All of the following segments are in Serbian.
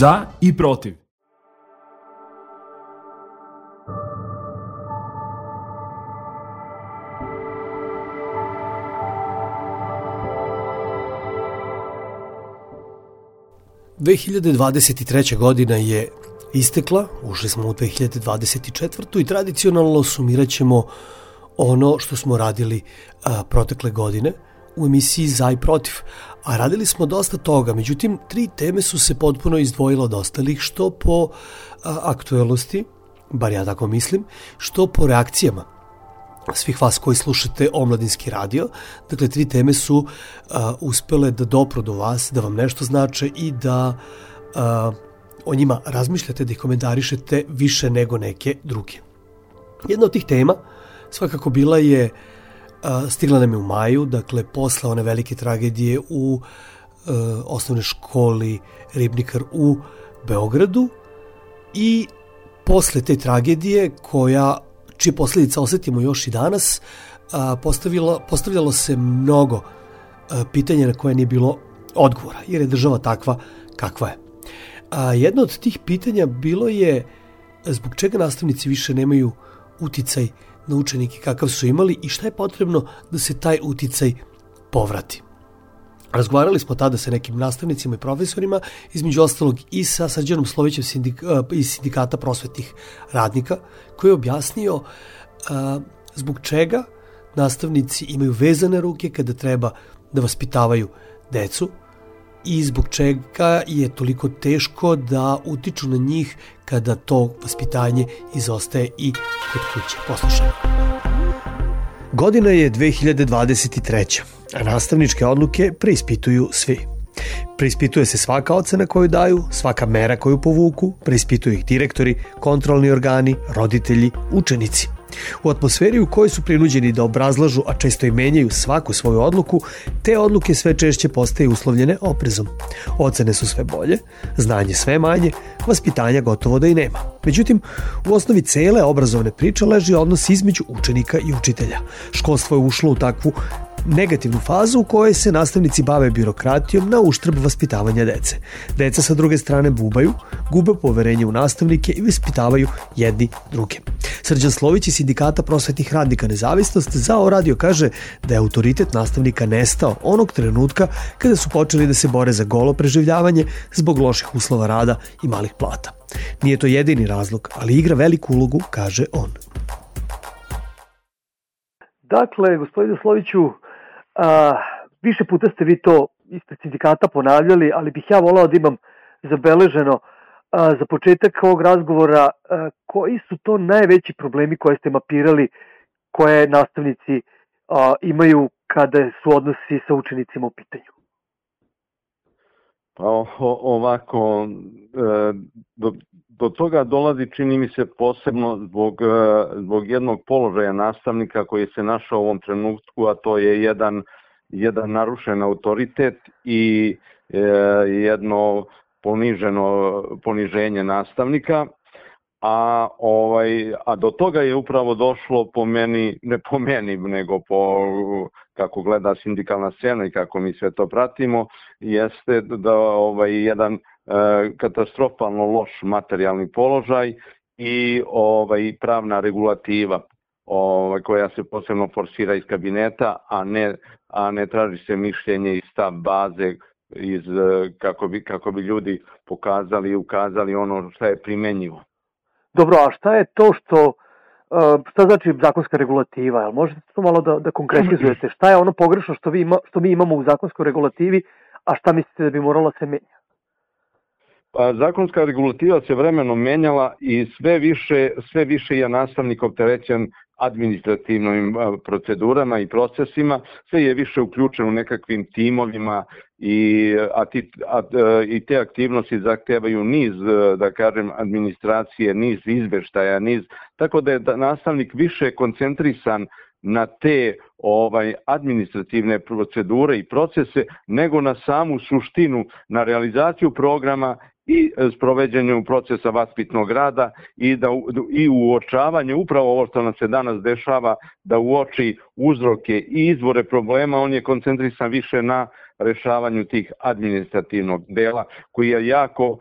Za i protiv. Godina je istekla, ušli smo u 2024. i tradicionalno sumirat ćemo ono što smo radili protekle godine u emisiji Za i protiv. A radili smo dosta toga, međutim 3 teme su se potpuno izdvojile od ostalih, što po aktuelnosti, bar ja tako mislim, što po reakcijama svih vas koji slušate Omladinski radio. Dakle, 3 teme su uspele da dopru do vas, da vam nešto znače i da o njima razmišljate, da ih komentarišete više nego neke druge. Jedna od tih tema svakako bila je, stigla nam je u maju, dakle posle one velike tragedije u osnovnoj školi Ribnikar u Beogradu, i posle te tragedije čije posljedice osjetimo još i danas, postavljalo se mnogo pitanja na koje nije bilo odgovora, jer je država takva kakva je. Jedno od tih pitanja bilo je zbog čega nastavnici više nemaju uticaj na učenike kakav su imali i šta je potrebno da se taj uticaj povrati. Razgovarali smo tada sa nekim nastavnicima i profesorima, između ostalog i sa Srđanom Slovićem iz Sindikata prosvetnih radnika, koji je objasnio zbog čega nastavnici imaju vezane ruke kada treba da vaspitavaju decu i zbog čega je toliko teško da utiču na njih kada to vaspitanje izostaje i kod kuće. Poslušajmo. Godina je 2023. a nastavničke odluke preispituju svi. Preispituje se svaka ocena koju daju, svaka mera koju povuku, preispituju ih direktori, kontrolni organi, roditelji, učenici. U atmosferi u kojoj su prinuđeni da obrazlažu, a često i menjaju svaku svoju odluku, te odluke sve češće postaju uslovljene oprezom. Ocene su sve bolje, znanje sve manje, vaspitanja gotovo da i nema. Međutim, u osnovi cele obrazovne priče leži odnos između učenika i učitelja. Školstvo je ušlo u takvu negativnu fazu u kojoj se nastavnici bave birokratijom na uštrb vaspitavanja dece. Deca sa druge strane bubaju, gube poverenje u nastavnike i vaspitavaju jedni druge. Srđan Slović iz Sindikata prosvetnih radnika Nezavisnost za radio kaže da je autoritet nastavnika nestao onog trenutka kada su počeli da se bore za golo preživljavanje zbog loših uslova rada i malih plata. Nije to jedini razlog, ali igra veliku ulogu, kaže on. Dakle, gospodine Sloviću, više puta ste vi to ispred sindikata ponavljali, ali bih ja volao da imam zabeleženo za početak ovog razgovora koji su to najveći problemi koje ste mapirali, koje nastavnici imaju kada su odnosi sa učenicima u pitanju. Pa ovako, do toga dolazi, čini mi se, posebno zbog jednog položaja nastavnika koji se našao u ovom trenutku, a to je jedan narušen autoritet i jedno poniženje nastavnika, a do toga je upravo došlo po meni, ne po meni, nego po kako gleda sindikalna scena i kako mi sve to pratimo, jeste da jedan katastrofalno loš materijalni položaj i pravna regulativa koja se posebno forsira iz kabineta, a ne traži se mišljenje i stav baze kako bi ljudi pokazali i ukazali ono što je primenjivo. Dobro, a šta je to šta znači zakonska regulativa? Jel možete to malo da konkretizujete? Šta je ono pogrešno što mi imamo u zakonskoj regulativi, a šta mislite da bi moralo se menjati? Pa, zakonska regulativa se vremenom menjala i sve više je nastavnik opterećen administrativnim procedurama i procesima, sve je više uključen u nekakvim timovima i te aktivnosti zahtevaju niz, da kažem, administracije, niz izveštaja, tako da je nastavnik više koncentrisan na te administrativne procedure i procese nego na samu suštinu, na realizaciju programa i sproveđenju procesa vaspitnog rada i uočavanje upravo ovo što nam se danas dešava, da uoči uzroke i izvore problema. On je koncentrisan više na rešavanju tih administrativnog dela koji je jako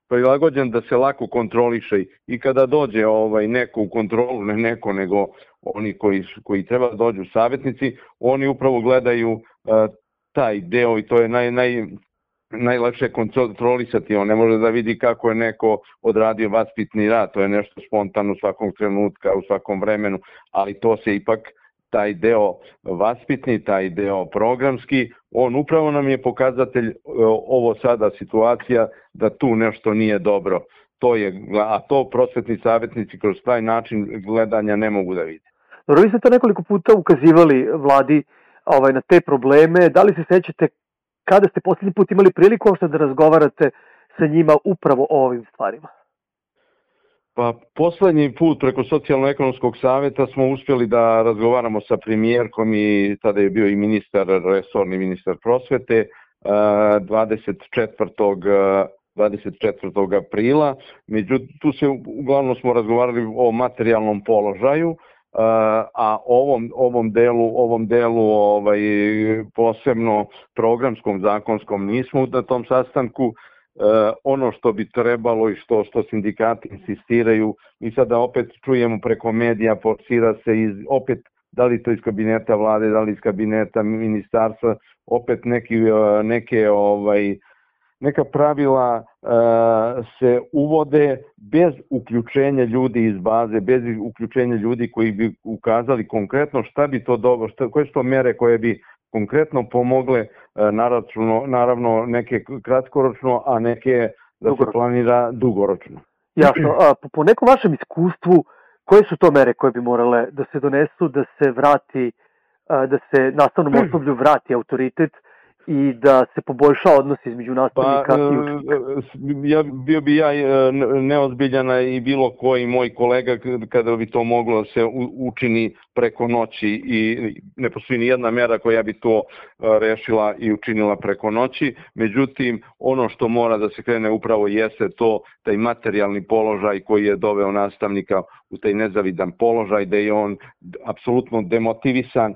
prilagođen da se lako kontroliše i kada dođe neko u kontrolu, ne neko nego oni koji treba da dođu savjetnici, oni upravo gledaju taj deo i to je najlakše kontrolisati. On ne može da vidi kako je neko odradio vaspitni rad, to je nešto spontano svakog trenutka, u svakom vremenu, ali to se ipak taj deo vaspitni, taj deo programski, on upravo nam je pokazatelj ovo sada situacija da tu nešto nije dobro. A to prosvetni savjetnici kroz taj način gledanja ne mogu da vide. Dobro, vi ste to nekoliko puta ukazivali vladi na te probleme. Da li se sećate kada ste posljednji put imali priliku da razgovarate sa njima upravo o ovim stvarima? Pa poslednji put preko Socijalno-ekonomskog savjeta smo uspjeli da razgovaramo sa premijerkom i tada je bio i resorni ministar prosvete 24. aprila. Međutim, tu uglavnom smo razgovarali o materijalnom položaju, a ovom delu posebno programskom, zakonskom nismo na tom sastanku. Ono što bi trebalo i što sindikati insistiraju, mi sada opet čujemo preko medija, forsira se opet, da li to iz kabineta vlade, da li iz kabineta ministarstva, opet neka pravila se uvode bez uključenja ljudi iz baze, bez uključenja ljudi koji bi ukazali konkretno šta bi to dobro, koje su to mere koje bi konkretno pomogle, naravno neke kratkoročno, a neke da se planira dugoročno. Jasno, po nekom vašem iskustvu, koje su to mere koje bi morale da se donesu, da se vrati, da se nastavnom osoblju vrati autoritet i da se poboljša odnos između nastavnika i učenika? Bio bi ja neozbiljana i bilo koji moj kolega kada bi to moglo se učini preko noći i ne postoji ni jedna mera koja bi to rešila i učinila preko noći. Međutim, ono što mora da se krene upravo jeste to, taj materijalni položaj koji je doveo nastavnika u taj nezavidan položaj, da je on apsolutno demotivisan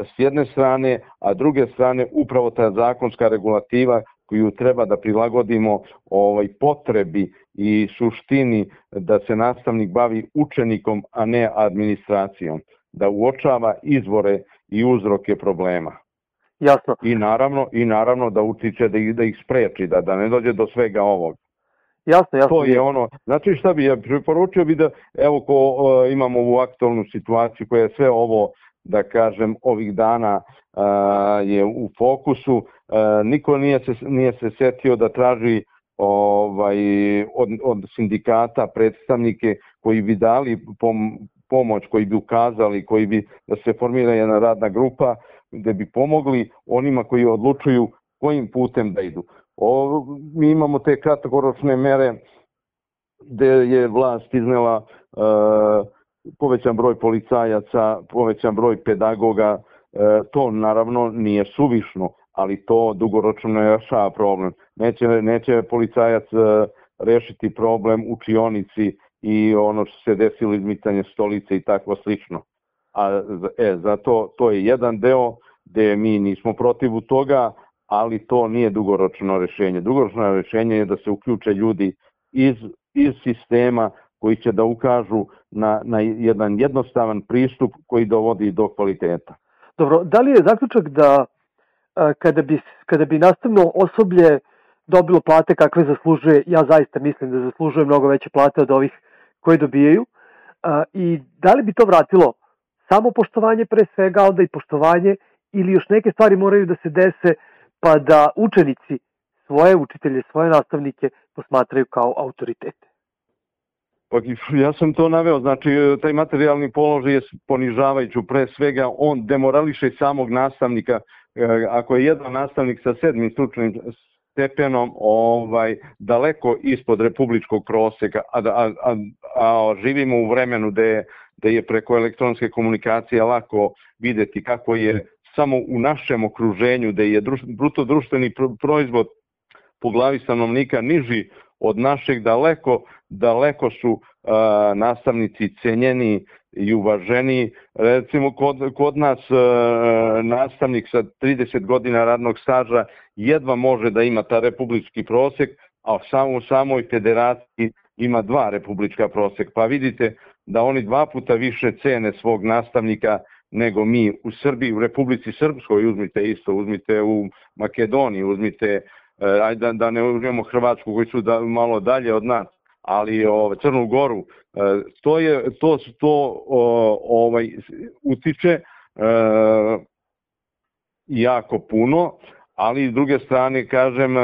s jedne strane, a druge strane upravo ta zakonska regulativa koju treba da prilagodimo potrebi i suštini da se nastavnik bavi učenikom, a ne administracijom, da uočava izvore i uzroke problema. Jasno. I naravno da utiče da ih spreči, da ne dođe do svega ovog. Jasno. To je ono, znači šta bi ja preporučio bi da, evo ko imamo ovu aktualnu situaciju koja je sve ovo, da kažem, ovih dana je u fokusu, niko nije se setio da traži od sindikata predstavnike koji bi dali pomoć, koji bi ukazali, koji bi da se formira jedna radna grupa gde bi pomogli onima koji odlučuju kojim putem da idu. Mi imamo te kratkoročne mere gde je vlast iznela povećan broj policajaca, povećan broj pedagoga, to naravno nije suvišno, ali to dugoročno ne rešava problem. Neće policajac rešiti problem učionici i ono što se desilo izmicanje stolice i tako slično. Zato to je jedan deo gde mi nismo protiv toga, ali to nije dugoročno rešenje. Dugoročno rešenje je da se uključe ljudi iz sistema koji će da ukažu na jedan jednostavan pristup koji dovodi do kvaliteta. Dobro, da li je zaključak da kada bi nastavno osoblje dobilo plate kakve zaslužuje, ja zaista mislim da zaslužuje mnogo veće plate od ovih koje dobijaju, i da li bi to vratilo samo poštovanje pre svega, onda i poštovanje, ili još neke stvari moraju da se dese pa da učenici svoje učitelje, svoje nastavnike posmatraju kao autoritete? Pa ja sam to naveo, znači taj materijalni položaj je ponižavajući, pre svega on demorališe samog nastavnika. Ako je jedan nastavnik sa 7. stručnim stepenom daleko ispod republičkog proseka, a živimo u vremenu gde je preko elektronske komunikacije lako videti kako je samo u našem okruženju, gde je bruto društveni proizvod po glavi stanovnika niži od našeg, daleko su nastavnici cenjeni i uvaženiji. Recimo kod nas nastavnik sa 30 godina radnog staža jedva može da ima ta republički prosek, a u samoj federaciji ima 2 republička prosek. Pa vidite da oni 2 puta više cene svog nastavnika nego mi u Srbiji, u Republici Srpskoj, uzmite u Makedoniji, uzmite, ajde da ne uzmemo Hrvatsku koji su malo dalje od nas, ali Crnu Goru, to utiče jako puno, ali s druge strane, kažem,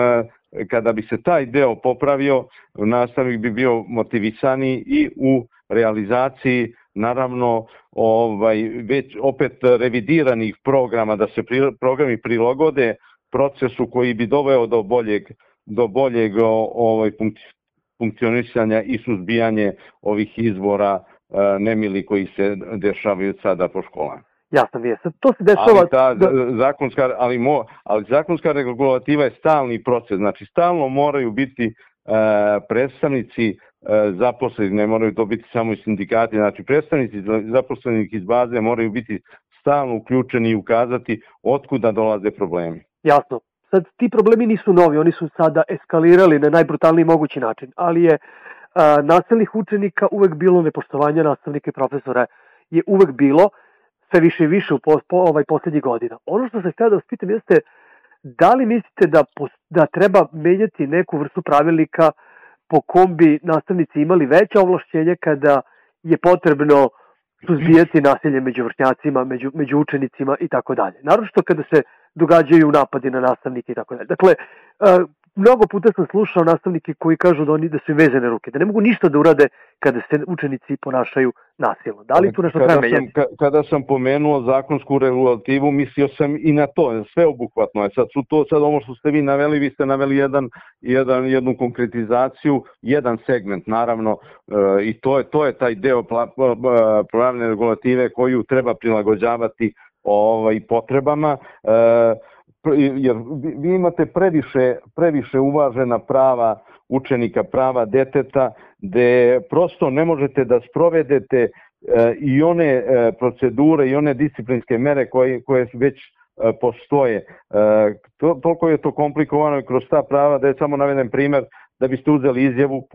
kada bi se taj deo popravio, nastavnik bi bio motivisaniji i u realizaciji, naravno, već opet revidiranih programa, da se programi prilagode procesu koji bi doveo do boljeg funkcionisanja i suzbijanje ovih izbora nemili koji se dešavaju sada po školama. Jasno mi je. To se dešava... Ali zakonska regulativa je stalni proces. Znači, stalno moraju biti predstavnici zaposleni, ne moraju to biti samo i sindikati, znači predstavnici zaposlenih iz baze moraju biti stalno uključeni i ukazati otkuda dolaze problemi. Jasno. Sad, ti problemi nisu novi, oni su sada eskalirali na najbrutalniji mogući način, ali je nasilnih učenika uvek bilo, nepoštovanja nastavnika i profesora je uvek bilo, sve više i više u poslednjih godina. Ono što se htio da vas pitam jeste, da li mislite da treba menjati neku vrstu pravilnika po kom bi nastavnici imali veća ovlašćenja kada je potrebno suzbijati nasilje među vršnjacima, među učenicima i tako dalje. Naročito kada se događaju napadi na nastavnike i tako dalje. Dakle, mnogo puta sam slušao nastavnike koji kažu da su im vezane ruke, da ne mogu ništa da urade kada se učenici ponašaju nasilno. Da li tu nešto treba menjati? Kada sam pomenuo zakonsku regulativu, mislio sam i na to, sveobuhvatno je. Sad ovo što ste vi naveli, vi ste naveli jednu konkretizaciju, jedan segment, naravno, i to je taj deo pravne regulative koju treba prilagođavati potrebama, jer vi imate previše uvažena prava učenika, prava deteta, gde prosto ne možete da sprovedete i one procedure i one disciplinske mere koje već postoje. Toliko je to komplikovano i kroz ta prava, da je samo naveden primer, da biste uzeli izjavu,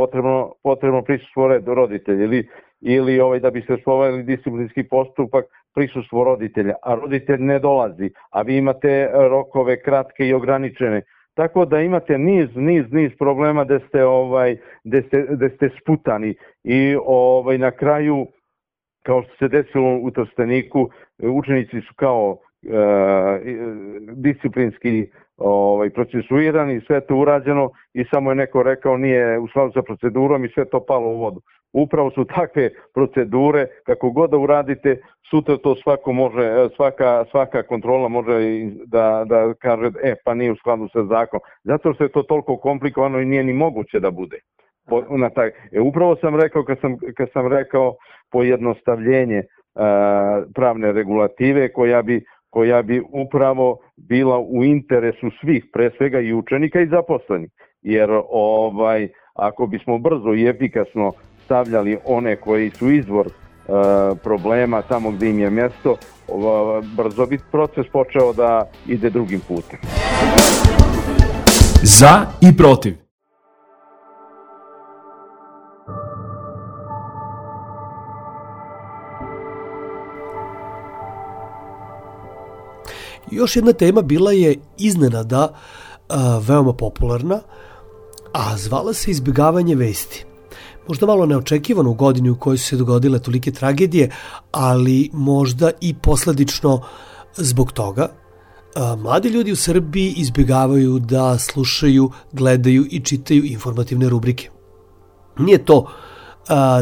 potrebno prisustvo roditelja ili da biste sproveli disciplinski postupak, prisustvo roditelja, a roditelj ne dolazi, a vi imate rokove kratke i ograničene. Tako da imate niz problema gde ste sputani i na kraju, kao što se desilo u Trsteniku, učenici su kao disciplinski procesuirani, sve to urađeno i samo je neko rekao nije u skladu sa procedurom i sve to palo u vodu. Upravo su takve procedure, kako god da uradite, sutra to svako može, svaka kontrola može da kaže pa nije u skladu sa zakonom. Zato što je to toliko komplikovano i nije ni moguće da bude. Upravo sam rekao, kad sam rekao pojednostavljenje pravne regulative koja bi upravo bila u interesu svih, pre svega i učenika i zaposlenih. Jer ako bismo brzo i efikasno stavljali one koji su izvor problema tamo gde im je mjesto, brzo bi proces počeo da ide drugim putem. Za i protiv. Još jedna tema bila je iznenada veoma popularna, a zvala se izbjegavanje vesti. Možda malo neočekivano u godini u kojoj su se dogodile tolike tragedije, ali možda i posledično zbog toga. Mladi ljudi u Srbiji izbjegavaju da slušaju, gledaju i čitaju informativne rubrike. Nije to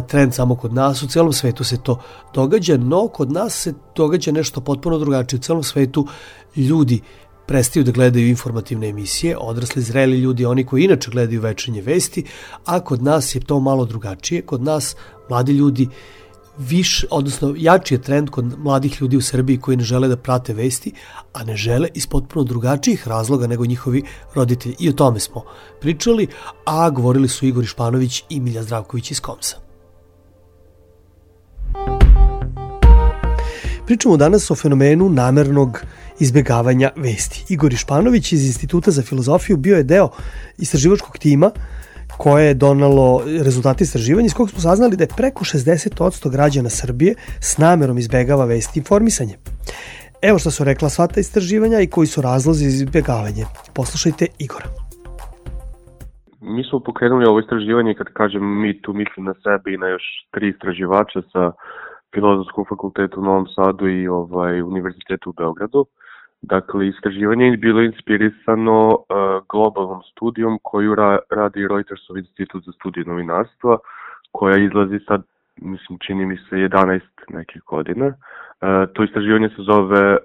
trend samo kod nas, u celom svetu se to događa, no kod nas se događa nešto potpuno drugačije. U celom svetu ljudi prestaju da gledaju informativne emisije, odrasli, zreli ljudi, oni koji inače gledaju večernje vesti, a kod nas je to malo drugačije. Kod nas mladi ljudi jači je trend kod mladih ljudi u Srbiji koji ne žele da prate vesti, a ne žele iz potpuno drugačijih razloga nego njihovi roditelji. I o tome smo pričali, a govorili su Igor Išpanović i Milja Zdravković iz Komsa. Pričamo danas o fenomenu namernog izbjegavanja vesti. Igor Išpanović iz Instituta za filozofiju bio je deo istraživačkog tima koje je donalo rezultate istraživanja iz kojeg smo saznali da je preko 60% građana Srbije s namerom izbjegava vesti i informisanje. Evo što su rekla sva ta istraživanja i koji su razlozi za izbjegavanje. Poslušajte Igora. Mi smo pokrenuli ovo istraživanje, kad kažem mi, tu mislim na sebe i na još 3 istraživača sa Filozofskog fakulteta u Novom Sadu i Univerzitetu u Beogradu. Dakle, istraživanje je bilo inspirisano globalnom studijom koju radi Reutersov institut za studije novinarstva, koja izlazi sad, mislim, čini mi se 11 nekih godina. To istraživanje se zove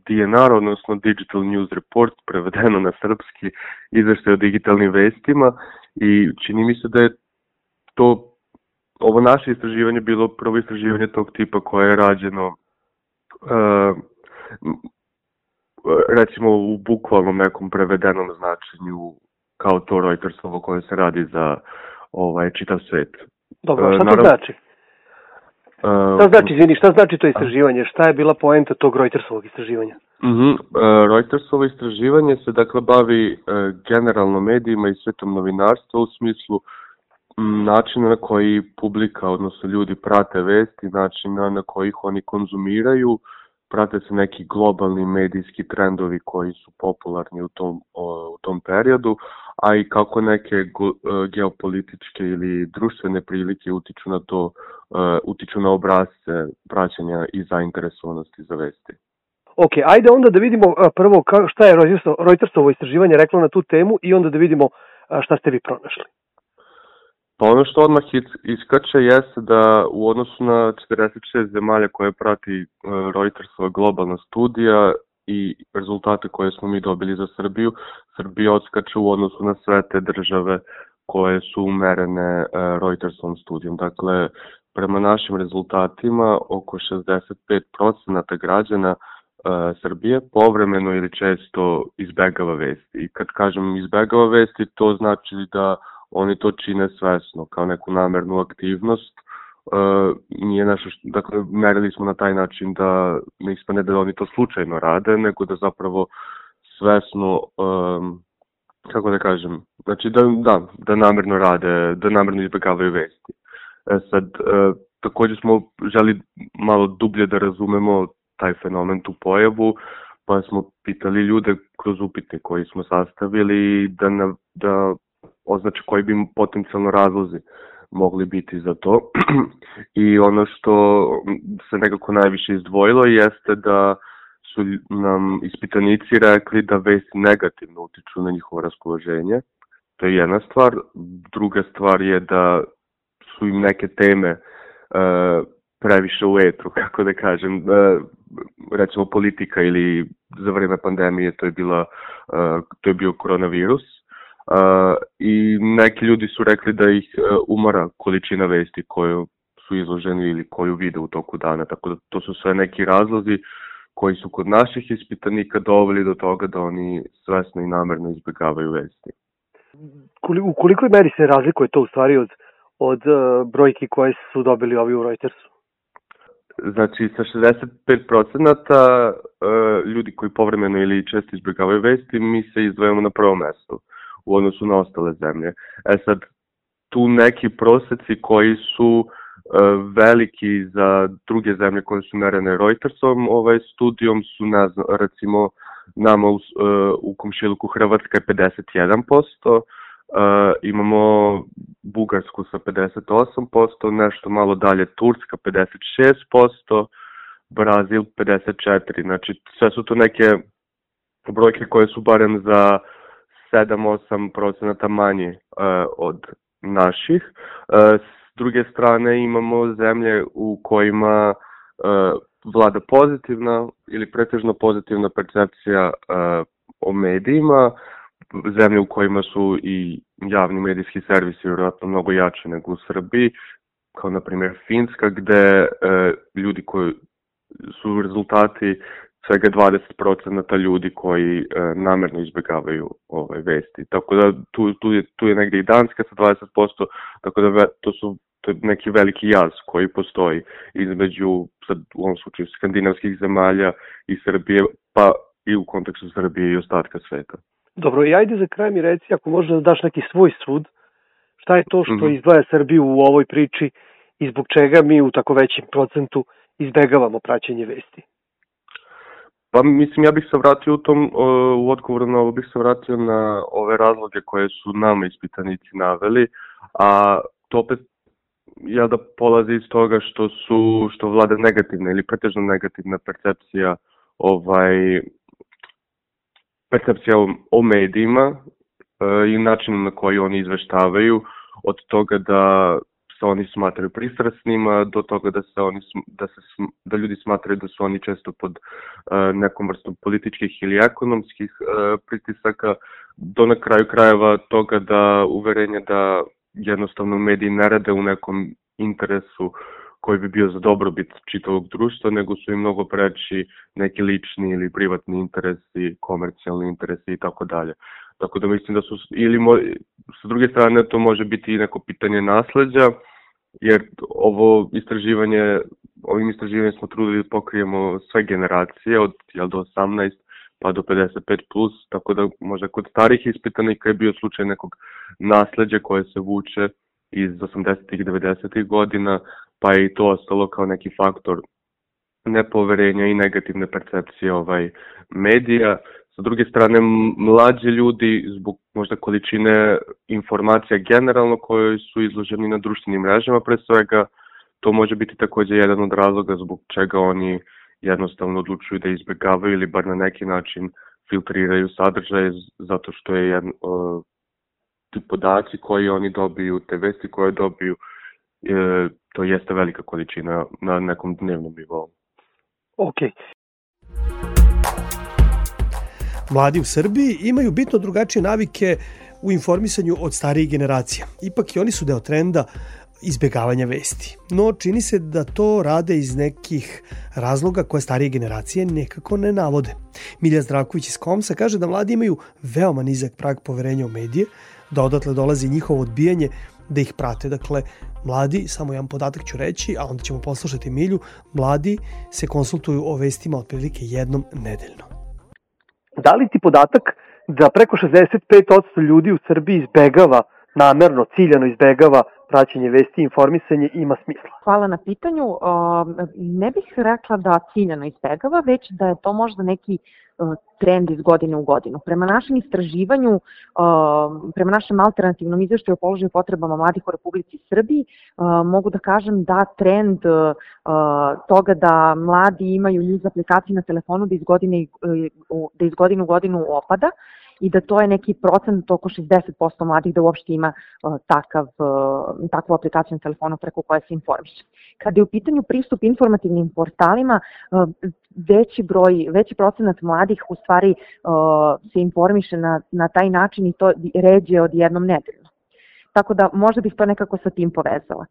DNR, odnosno Digital News Report, prevedeno na srpski, izveštaj o digitalnim vestima, i čini mi se da je ovo naše istraživanje bilo prvo istraživanje tog tipa koje je rađeno recimo u bukvalnom nekom prevedenom značenju kao to Reutersovo koje se radi za čitav svet. Dobro, šta to znači? Šta znači to istraživanje? Šta je bila poenta tog Reutersovog istraživanja? Reutersovo istraživanje se dakle bavi generalno medijima i svetom novinarstva u smislu načina na koji publika, odnosno ljudi prate vesti, načina na koji ih oni konzumiraju, prate se neki globalni medijski trendovi koji su popularni u tom periodu, a i kako neke geopolitičke ili društvene prilike utiču na to, utiču na obrasce praćenja i zainteresovanosti za vesti. Ok, ajde onda da vidimo prvo šta je Reutersovo istraživanje reklo na tu temu i onda da vidimo šta ste vi pronašli. Pa ono što odmah iskače jeste da u odnosu na 46 zemalja koje prati Reutersova globalna studija i rezultate koje smo mi dobili za Srbiju, Srbija odskače u odnosu na sve te države koje su umerene Reutersovom studijom. Dakle, prema našim rezultatima oko 65% građana Srbije povremeno ili često izbegava vesti. I kad kažem izbegava vesti, to znači da oni to čine svesno, kao neku namernu aktivnost. Nije nešto dakle, merili smo na taj način da ne ispane da oni to slučajno rade, nego da zapravo svesno, kako da kažem, znači da namerno rade, da namerno izbegavaju vesti. Sad, također smo želi malo dublje da razumemo taj fenomen, tu pojavu, pa smo pitali ljude kroz upitnik koji smo sastavili da označi koji bi potencijalno razlozi mogli biti za to. I ono što se nekako najviše izdvojilo jeste da su nam ispitanici rekli da vesti negativno utiču na njihovo raspoloženje. To je jedna stvar. Druga stvar je da su im neke teme previše u etru, kako da kažem, recimo politika ili za vreme pandemije to je bio koronavirus. I neki ljudi su rekli da ih umara količina vesti koju su izloženi ili koju vide u toku dana, tako da to su sve neki razlozi koji su kod naših ispitanika doveli do toga da oni svesno i namerno izbjegavaju vesti. U kolikoj meri se razlikuje to u stvari od brojki koje su dobili ovi u Reutersu? Znači, sa 65% ljudi koji povremeno ili često izbjegavaju vesti, mi se izdvajamo na prvo mesto u odnosu na ostale zemlje. Sad, tu neki proseci koji su veliki za druge zemlje koje su merene Reutersom studijom su, recimo, nama u komšiluku Hrvatska je 51%, imamo Bugarsku sa 58%, nešto malo dalje Turska 56%, Brazil 54%. Znači, sve su to neke brojke koje su barem za 7-8% manje od naših. S druge strane imamo zemlje u kojima vlada pozitivna ili pretežno pozitivna percepcija o medijima, zemlje u kojima su i javni medijski servisi vjerojatno mnogo jače nego u Srbiji, kao na primjer Finska, gde ljudi koji su rezultati svega 20% ljudi koji namerno izbjegavaju vesti. Tako da tu je negdje i Danska sa 20%, tako da to su to je neki veliki jaz koji postoji između, sad, u ovom slučaju, skandinavskih zemalja i Srbije, pa i u kontekstu Srbije i ostatka sveta. Dobro, i ajde za kraj mi reci, ako možeš da daš neki svoj sud, šta je to što izdvaja Srbiju u ovoj priči i zbog čega mi u tako većem procentu izbegavamo praćenje vesti? Pa mislim, ja bih se vratio u odgovoru na ovo, bih se vratio na ove razloge koje su nama ispitanici naveli, a to opet da polazi iz toga što vlada negativna ili pretežno negativna percepcija o medijima i načinu na koji oni izveštavaju, od toga da se oni smatraju pristrasnima, do toga da ljudi smatraju da su oni često pod nekom vrstom političkih ili ekonomskih pritisaka, do na kraju krajeva toga da uverenje da jednostavno mediji ne rade u nekom interesu koji bi bio za dobrobit čitavog društva, nego su im mnogo preći neki lični ili privatni interesi, komercijalni interesi i tako dalje. Tako da mislim da su, sa druge strane to može biti i neko pitanje nasleđa, jer ovim istraživanjem smo trudili da pokrijemo sve generacije od do 18 pa do 55+, tako da možda kod starih ispitanika je bio slučaj nekog nasleđa koje se vuče iz 80-ih i 90-ih godina, pa je i to ostalo kao neki faktor nepoverenja i negativne percepcije medija. Sa druge strane, mlađi ljudi, zbog možda količine informacija generalno koje su izloženi na društvenim mrežama, pre svega, to može biti takođe jedan od razloga zbog čega oni jednostavno odlučuju da izbegavaju ili bar na neki način filtriraju sadržaje, zato što je ti podaci koji oni dobiju, te vesti koje dobiju, to jeste velika količina na nekom dnevnom nivou. Okej. Mladi u Srbiji imaju bitno drugačije navike u informisanju od starijih generacija. Ipak i oni su deo trenda izbegavanja vesti. No, čini se da to rade iz nekih razloga koje starije generacije nekako ne navode. Milja Zdravković iz Komsa kaže da mladi imaju veoma nizak prag poverenja u medije, da odatle dolazi njihovo odbijanje da ih prate. Dakle, mladi, samo jedan podatak ću reći, a onda ćemo poslušati Milju, mladi se konsultuju o vestima otprilike jednom nedeljno. Da li ti podatak da preko 65% ljudi u Srbiji izbegava, namerno, ciljano izbegava praćenje vesti i informisanje ima smisla? Hvala na pitanju. Ne bih rekla da ciljano izbegava, već da je to možda neki trend iz godine u godinu. Prema našem istraživanju, prema našem alternativnom izveštaju o položaju potrebama mladih u Republici Srbiji, mogu da kažem da trend toga da mladi imaju news aplikacije na telefonu da iz godine u godinu opada i da to je neki procent, oko 60% mladih da uopšte ima takvu aplikaciju na telefonu preko koje se informiše. Kada je u pitanju pristup informativnim portalima, veći procenat mladih u stvari se informiše na taj način i to ređe od jednom nedeljno. Tako da možda bih to nekako sa tim povezala.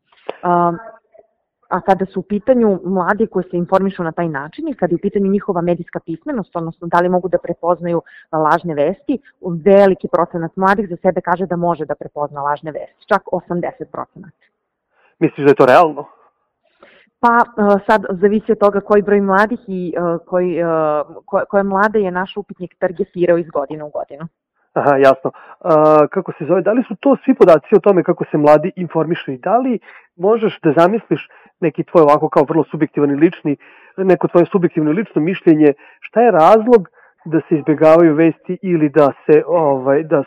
A kada su u pitanju mladi koji se informišu na taj način i kada je u pitanju njihova medijska pismenost, odnosno da li mogu da prepoznaju lažne vesti, veliki procenat mladih za sebe kaže da može da prepozna lažne vesti, čak 80%. Misliš da je to realno? Pa sad zavisi od toga koji broj mladih i koje mlade je naš upitnik targetirao iz godine u godinu. Aha, jasno. Kako se zove, da li su to svi podaci o tome kako se mladi informišu i da li možeš da zamisliš neki tvoj ovako kao vrlo subjektivan i lični, neko tvoje subjektivno i lično mišljenje, šta je razlog da se izbegavaju vesti ili da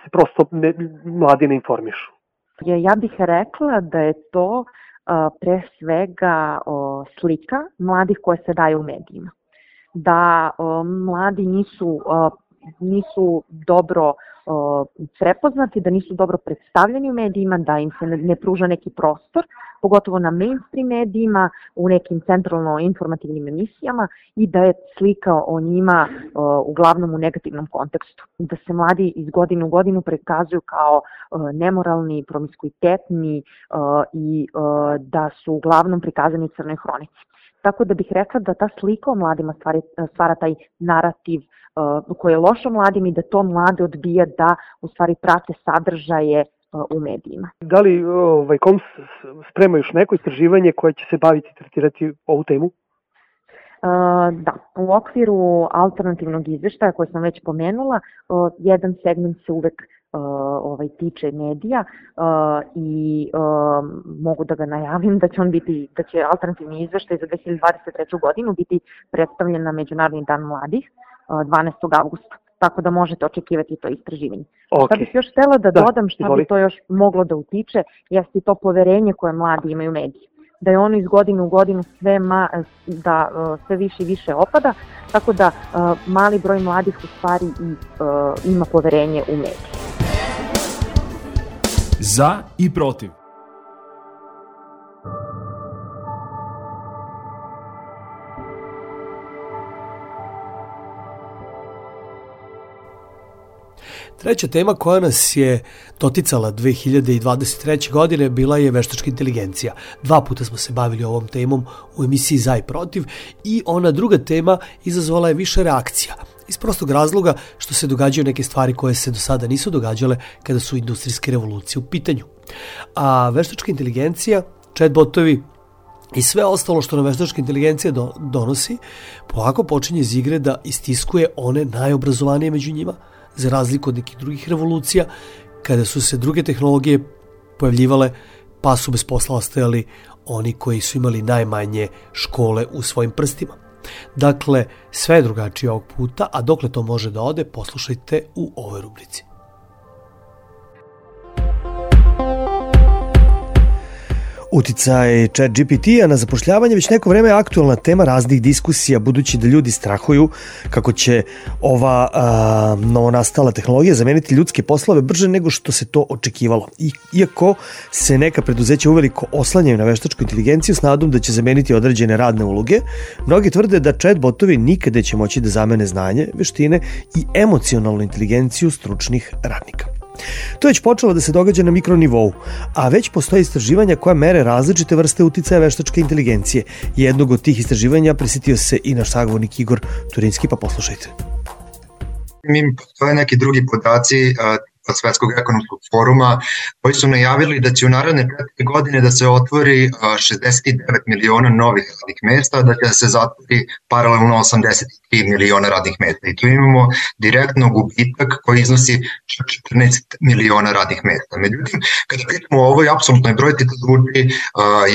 se prosto mladi ne informišu? Ja bih rekla da je to pre svega slika mladih koje se daju u medijima. Da mladi nisu dobro prepoznati, da nisu dobro predstavljeni u medijima, da im se ne pruža neki prostor, pogotovo na mainstream medijima, u nekim centralno informativnim emisijama i da je slika o njima uglavnom u negativnom kontekstu. Da se mladi iz godine u godinu prikazuju kao nemoralni, promiskuitetni i da su uglavnom prikazani u crnoj hronici. Tako da bih rekla da ta slika o mladima stvara taj narativ koji je loš o mladim i da to mlade odbija da u stvari prate sadržaje u medijima. Da li KOMS sprema još neko istraživanje koje će se baviti, tretirati ovu temu? Da, u okviru alternativnog izveštaja koje sam već pomenula, jedan segment se uvek tiče medija i mogu da ga najavim da će alternativni izveštaj za 2023. godinu biti predstavljen na Međunarodni dan mladih 12. avgusta. Tako da možete očekivati to istraživanje. Okay. Šta bih još htela da dodam šta bi to još moglo da utiče, jeste to poverenje koje mladi imaju u mediji. Da je ono iz godine u godinu sve više i više opada, tako da mali broj mladih u stvari ima poverenje u mediji. Za i protiv. Treća tema koja nas je doticala 2023. godine bila je veštačka inteligencija. 2 puta smo se bavili ovom temom u emisiji Za i protiv i ona druga tema izazvala je više reakcija. Iz prostog razloga što se događaju neke stvari koje se do sada nisu događale kada su industrijske revolucije u pitanju. A veštačka inteligencija, chatbotovi i sve ostalo što nam veštačka inteligencija donosi, polako počinje iz igre da istiskuje one najobrazovanije među njima, za razliku od nekih drugih revolucija, kada su se druge tehnologije pojavljivale, pa su bez posla ostajali oni koji su imali najmanje škole u svojim prstima. Dakle, sve je drugačije ovog puta, a dokle to može da ode, poslušajte u ovoj rubrici. Uticaj ChatGPT-a na zapošljavanje već neko vreme je aktualna tema raznih diskusija, budući da ljudi strahuju kako će ova novonastala tehnologija zameniti ljudske poslove brže nego što se to očekivalo. Iako se neka preduzeća uveliko oslanjaju na veštačku inteligenciju s nadom da će zameniti određene radne uloge, mnogi tvrde da chatbotovi nikada će moći da zamene znanje, veštine i emocionalnu inteligenciju stručnih radnika. To je već počelo da se događa na mikronivou, a već postoje istraživanja koja mere različite vrste uticaja veštačke inteligencije. Jednog od tih istraživanja prisetio se i naš sagovornik Igor Turinski, pa poslušajte. Postoje neki drugi podaci Svetskog ekonomskog foruma koji su najavili da će u naredne 4 godine da se otvori 69 miliona novih radnih mesta, da će se zatvori paralelno 83 miliona radnih mesta. I tu imamo direktno gubitak koji iznosi 14 miliona radnih mesta. Međutim, kada pitamo o ovoj apsolutnoj brojci, to zvuči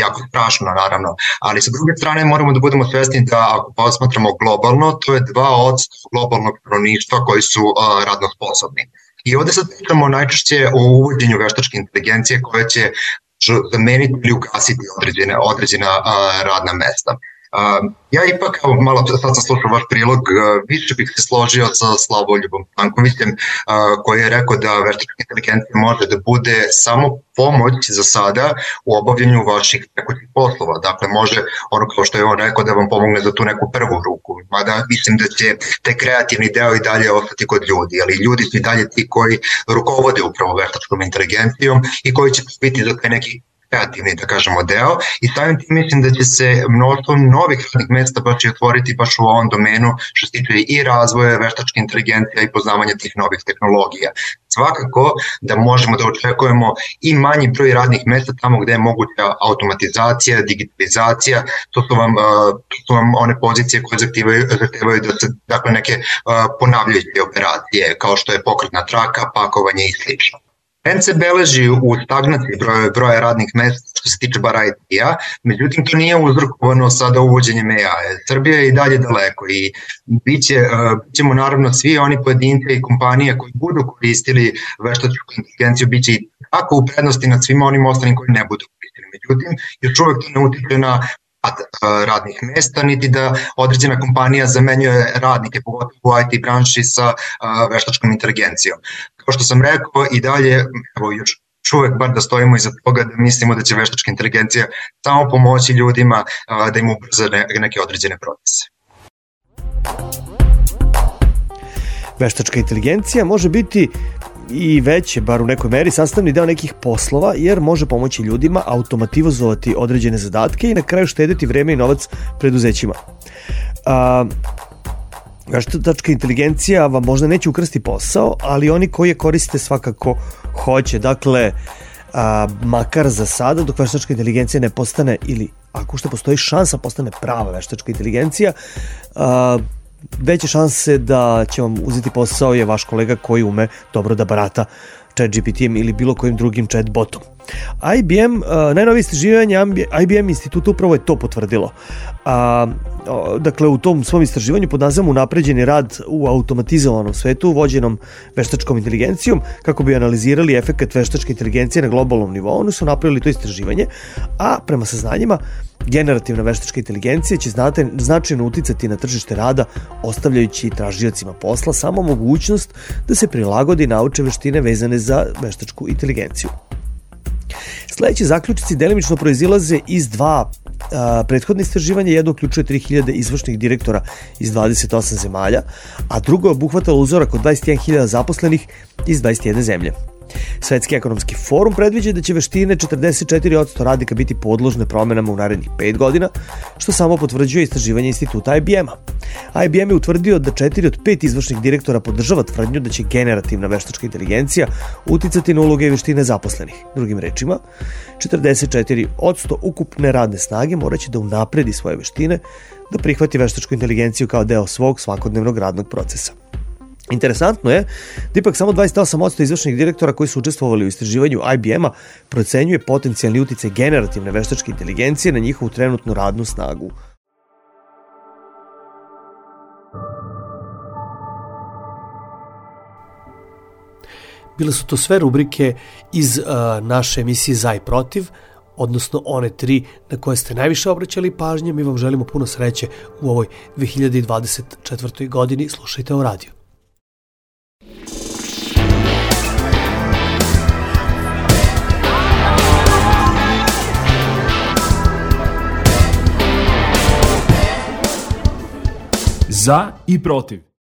jako strašno, naravno. Ali sa druge strane moramo da budemo svesni da ako posmatramo globalno, to je 2% globalnog stanovništva koji su radno sposobni. I ovde sad pričamo najčešće o uvođenju veštačke inteligencije koja će zameniti ili ugasiti određena radna mesta. Ja ipak, malo sad sam slušao vaš prilog, više bih se složio sa Slavoljubom Stankovićem koji je rekao da veštačka inteligencija može da bude samo pomoć za sada u obavljanju vaših tekućih poslova. Dakle, može ono kao što je on rekao da vam pomogne za tu neku prvu ruku. Mada mislim da će taj kreativni deo i dalje ostati kod ljudi, ali ljudi su i dalje ti koji rukovode upravo veštačkom inteligencijom i koji će biti za taj neki kreativni, da kažemo, deo i samim tim mislim da će se mnoštvo novih radnih mesta baš i otvoriti baš u ovom domenu što se tiče i razvoja veštačke inteligencije i poznavanja tih novih tehnologija. Svakako da možemo da očekujemo i manji broj radnih mesta tamo gde je moguća automatizacija, digitalizacija, to su vam one pozicije koje zahtevaju da se, dakle, neke ponavljajuće operacije kao što je pokretna traka, pakovanje i slično. Trend se beleži u stagnaciji broja radnih mesta što se tiče bar IT-a, međutim to nije uzrokovano sada uvođenjem AI. Srbija je i dalje daleko i bićemo naravno svi oni pojedinci i kompanije koji budu koristili veštačku inteligenciju biće i tako u prednosti nad svima onim ostalim koji ne budu koristili. Međutim, još uvek to ne utiče na radnih mesta, niti da određena kompanija zamenjuje radnike, pogotovo u IT branši sa veštačkom inteligencijom. Kao što sam rekao, i dalje, evo još uvek bar da stojimo iza toga da mislimo da će veštačka inteligencija samo pomoći ljudima da im ubrza neke određene procese. Veštačka inteligencija može biti i već je, bar u nekoj meri, sastavni deo nekih poslova, jer može pomoći ljudima automatizovati određene zadatke i na kraju štediti vreme i novac preduzećima. Veštačka inteligencija vam možda neće ukrsti posao, ali oni koji je koriste svakako hoće. Dakle, makar za sada, dok veštačka inteligencija ne postane, ili ako što postoji šansa postane prava veštačka inteligencija, veće šanse da će vam uzeti posao je vaš kolega koji ume dobro da barata ChatGPT-em ili bilo kojim drugim chatbotom. IBM, najnovije istraživanje IBM instituta upravo je to potvrdilo. Dakle, u tom svom istraživanju pod nazivom Unapređeni rad u automatizovanom svetu vođenom veštačkom inteligencijom, kako bi analizirali efekat veštačke inteligencije na globalnom nivou, oni su napravili to istraživanje, a prema saznanjima generativna veštačka inteligencija će značajno uticati na tržište rada, ostavljajući tražiocima posla samo mogućnost da se prilagodi i nauče veštine vezane za veštačku inteligenciju. Sledeći zaključici delimično proizilaze iz dva prethodne istraživanja. Jedno uključuje 3000 izvršnih direktora iz 28 zemalja, a drugo je obuhvatalo uzorak od 21.000 zaposlenih iz 21 zemlje. Svetski ekonomski forum predviđa da će veštine 44% radnika biti podložne promenama u narednih 5 godina, što samo potvrđuje istraživanje instituta IBM-a. IBM je utvrdio da 4 od 5 izvršnih direktora podržava tvrdnju da će generativna veštačka inteligencija uticati na uloge i veštine zaposlenih. Drugim rečima, 44% ukupne radne snage moraće da unapredi svoje veštine, da prihvati veštačku inteligenciju kao deo svog svakodnevnog radnog procesa. Interesantno je da ipak samo 28% izvršnih direktora koji su učestvovali u istraživanju IBM-a procenjuje potencijalni uticaj generativne veštačke inteligencije na njihovu trenutnu radnu snagu. Bile su to sve rubrike iz naše emisije Za i protiv, odnosno one 3 na koje ste najviše obraćali pažnje. Mi vam želimo puno sreće u ovoj 2024. godini. Slušajte o radiju. Za i protiv.